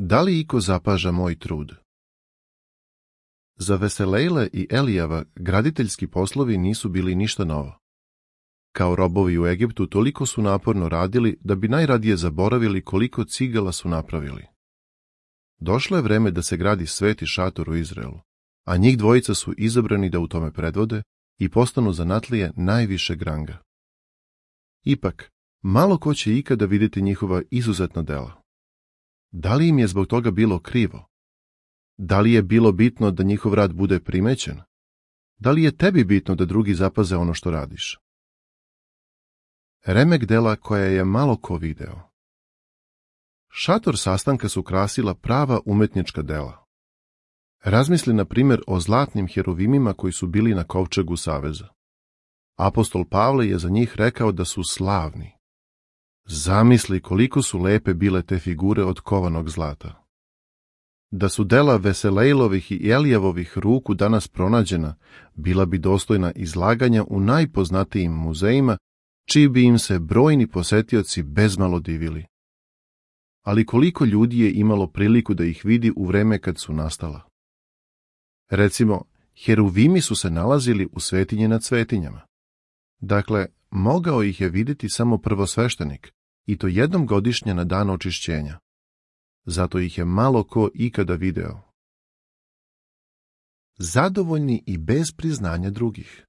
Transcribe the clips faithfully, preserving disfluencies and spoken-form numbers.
Da li iko zapaža moj trud? Za Veselejla i Elijava graditeljski poslovi nisu bili ništa novo. Kao robovi u Egiptu toliko su naporno radili da bi najradije zaboravili koliko cigala su napravili. Došlo je vreme da se gradi sveti šator u Izraelu, a njih dvojica su izabrani da u tome predvode i postanu zanatlije najvišeg ranga. Ipak, malo ko će ikada vidjeti njihova izuzetna dela. Da li im je zbog toga bilo krivo? Da li je bilo bitno da njihov rad bude primećen? Da li je tebi bitno da drugi zapaze ono što radiš? Remek dela koja je malo ko video. Šator sastanka su krasila prava umetnička dela. Razmisli na primjer o zlatnim heruvimima koji su bili na kovčegu saveza. Apostol Pavle je za njih rekao da su slavni. Zamisli koliko su lepe bile te figure od kovanog zlata. Da su dela Veselejlovih i Elijavovih ruku danas pronađena, bila bi dostojna izlaganja u najpoznatijim muzejima, čiji bi im se brojni posetioci bezmalo divili. Ali koliko ljudi je imalo priliku da ih vidi u vreme kad su nastala? Recimo, heruvimi su se nalazili u svetinji nad svetinjama. Dakle, mogao ih je vidjeti samo prvosveštenik, i to jednom godišnje na dan očišćenja. Zato ih je malo ko ikada video. Zadovoljni i bez priznanja drugih.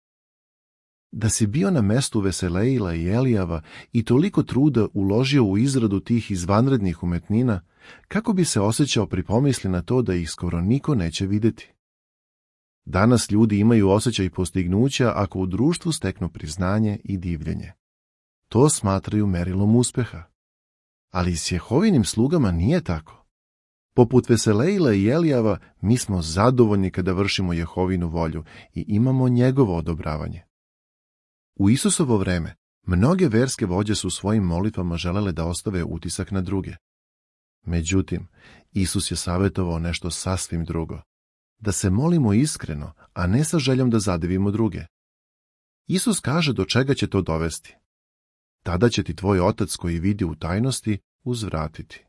Da si bio na mestu Veselejla i Elijava i toliko truda uložio u izradu tih izvanrednih umetnina, kako bi se osjećao pri pomisli na to da ih skoro niko neće vidjeti? Danas ljudi imaju osjećaj postignuća ako u društvu steknu priznanje i divljenje. To smatraju merilom uspeha. Ali s Jehovinim slugama nije tako. Poput Veselejla i Elijava, mi smo zadovoljni kada vršimo Jehovinu volju i imamo njegovo odobravanje. U Isusovo vreme, mnoge verske vođe su svojim molitvama želele da ostave utisak na druge. Međutim, Isus je savjetovao nešto sasvim drugo. Da se molimo iskreno, a ne sa željom da zadivimo druge. Isus kaže do čega će to dovesti. Tada će ti tvoj otac koji vidi u tajnosti uzvratiti.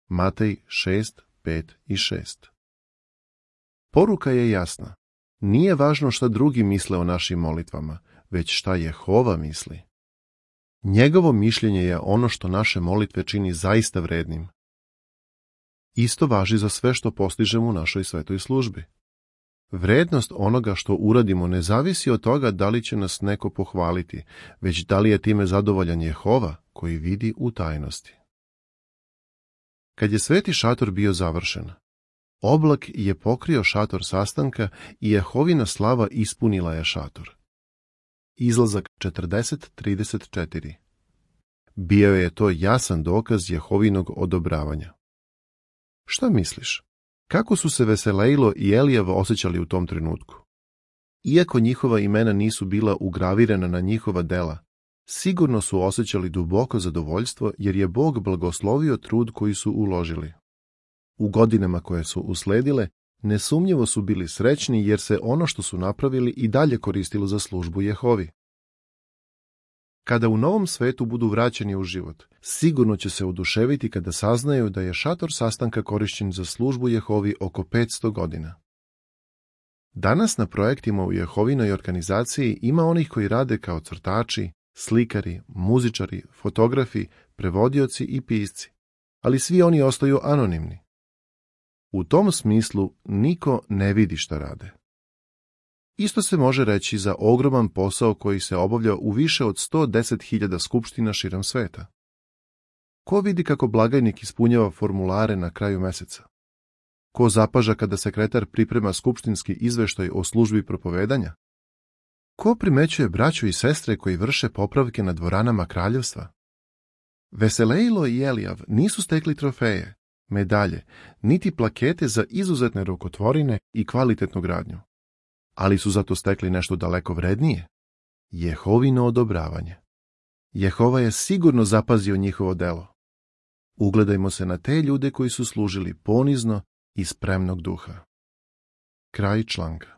Matej šest, pet i šest. Poruka je jasna. Nije važno šta drugi misle o našim molitvama, već šta Jehova misli. Njegovo mišljenje je ono što naše molitve čini zaista vrednim. Isto važi za sve što postižemo u našoj svetoj službi. Vrednost onoga što uradimo ne zavisi od toga da li će nas neko pohvaliti, već da li je time zadovoljan Jehova koji vidi u tajnosti. Kad je sveti šator bio završen, oblak je pokrio šator sastanka i Jehovina slava ispunila je šator. Izlazak četrdeset trideset četiri. Bio je to jasan dokaz Jehovinog odobravanja. Šta misliš? Kako su se Veselejlo i Elijav osjećali u tom trenutku? Iako njihova imena nisu bila ugravirana na njihova dela, sigurno su osjećali duboko zadovoljstvo jer je Bog blagoslovio trud koji su uložili. U godinama koje su usledile, nesumnjivo su bili srećni jer se ono što su napravili i dalje koristilo za službu Jehovi. Kada u novom svetu budu vraćeni u život, sigurno će se oduševiti kada saznaju da je šator sastanka korišćen za službu Jehovi oko petsto godina. Danas na projektima u Jehovinoj organizaciji ima onih koji rade kao crtači, slikari, muzičari, fotografi, prevodioci i pisci, ali svi oni ostaju anonimni. U tom smislu niko ne vidi šta rade. Isto se može reći za ogroman posao koji se obavlja u više od sto deset hiljada skupština širom sveta. Ko vidi kako blagajnik ispunjava formulare na kraju meseca? Ko zapaža kada sekretar priprema skupštinski izveštaj o službi propovedanja? Ko primećuje braću i sestre koji vrše popravke na dvoranama kraljevstva? Veselejlo i Elijav nisu stekli trofeje, medalje, niti plakete za izuzetne rukotvorine i kvalitetnu gradnju. Ali su zato stekli nešto daleko vrednije. Jehovino odobravanje. Jehova je sigurno zapazio njihovo delo. Ugledajmo se na te ljude koji su služili ponizno i spremnog duha. Kraj članka.